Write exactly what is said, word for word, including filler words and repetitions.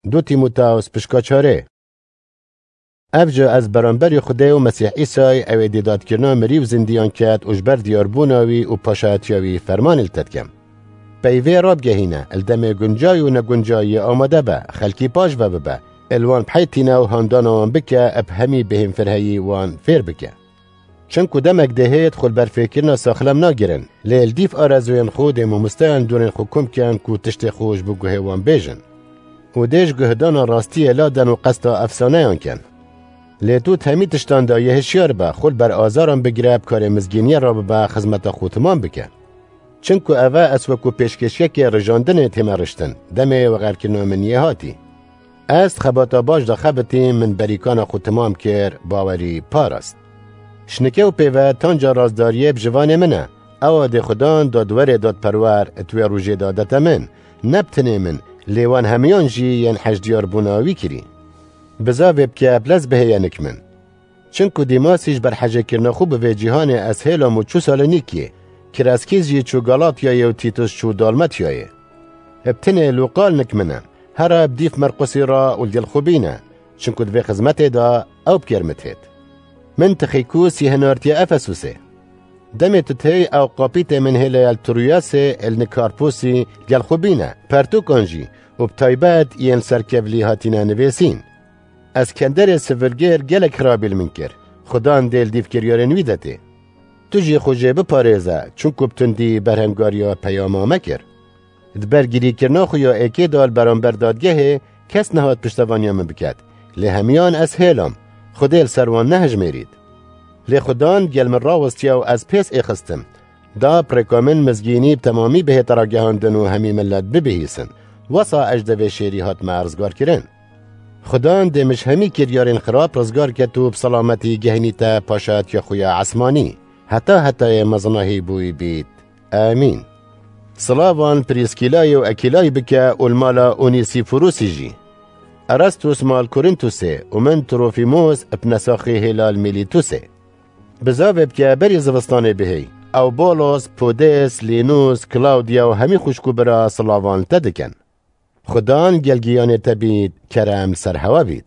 Du Tîmoteos pişka çarê. Ev jî ez beramberî Xwedê û Mesîh Îsayê, ew ê dêdatkirina mirî û zindiyan ket û ji ber diyarbûna wî û paşayetiya wî fermanê li te dikim. Peyvê rabigehîne, li demê guncay û neguncayiyê amade be, xelkî paş ve bibe, li wan biheytîne û handana wan bike, bi hemî bêhênfirheyî wan fêr bike. Çimku demek dê hêt xwe li ber fêrkirina saxlem nagirin, lê li dîv arezûyên xwe dê mamosteyan dorên xwe kom ken ku tiştê xwe ji bo guhê wan bêjin. Û dê ji guhdana rastiyê laden û qesta efsaneyan ken. Lê tu di hemî tiştan de yê hişyar be, xwe li ber azaran bigire, bi karê mizgîniyê re bibe, xizmeta xwe temam bike. Çimku ev e ez wekû pêşkêşiyekê rijandinê tême riştin, demê wexerkirina min yê hatî. Ez di xebata baş de xebitîm, min berîkana xwe temam kir, bawerî parast. Şinike û pêve tanca rastdariyê bi jivanê min e. Ewa dê Xudan dadwerê dadperwer di wê rojê de dete min, ne bi tinê min, lê wan hemiyan jî yên hej diyarbûna wî kirî. Bizavê bike, bi lez bihêye nik min. Çimku Dîmasî ji ber hejêkirina xwe bi vê cîhanê ez hêlam û çû Salonîkiyê, Kreskîs jî çû Galatyayê û Tîtus çû Dalmatyayê. Bi tinê Lûqa li nik min e, here bi dîv Merqusî re û li gel xwe bîne, çimku di vê xizmetê de ew bi kêr min têt. Min Tixîkus yê hinartiye Efesûsê. Demê tu têy ew qapîtê min hêleye li Troyasê, li nik Karpûsî li gel xwe bîne, pertûkan jî û bi taybet yên li ser kevlî hatine nivêsîn. Eskenderê sivilgêr gelek xirabî li min kir. Xudan dê li dîv kiryarên wî de tê. Tu jî xwe jê biparêze, çunku bi tundî berhemgariya peyama me kir. Di ber girîkirina xwe ya êkê de li beramber dadgehê kes nehat piştevaniya min biket. Lê hemiyan ez hêlam. Xwedê li ser wan nehejmêrît. Lê Xudan gel min rawestiye û ez pês êxistim. Da bi rêka min mizgînî bi temamî bihête ragihandin û hemî milet bibihîsin. Wesa ez ji devê şêrî hatime rizgarkirin. Xudan dê min ji hemî kiryarên xirab rizgar ket û bi selametî gehnîte paşayetiya xwe ya esmanî. Heta hetayê mezina hî bûyî bît. Amîn. Silavan Prîskîlayê û Ekîlayê bike û li mala Onîsîforûsî jî. Erastus mal Korîntûsê û min Trofîmos bi nesaxî hêla li Mîlîtûsê. Bizavê bike berî zivistanê bihêy. Ew Bolos, Podês, Lînûs, Klawdiya û hemî xwişk û bira silavan li te dikin. Xudan gelgiyanê te bît, kerem li ser hewe bît.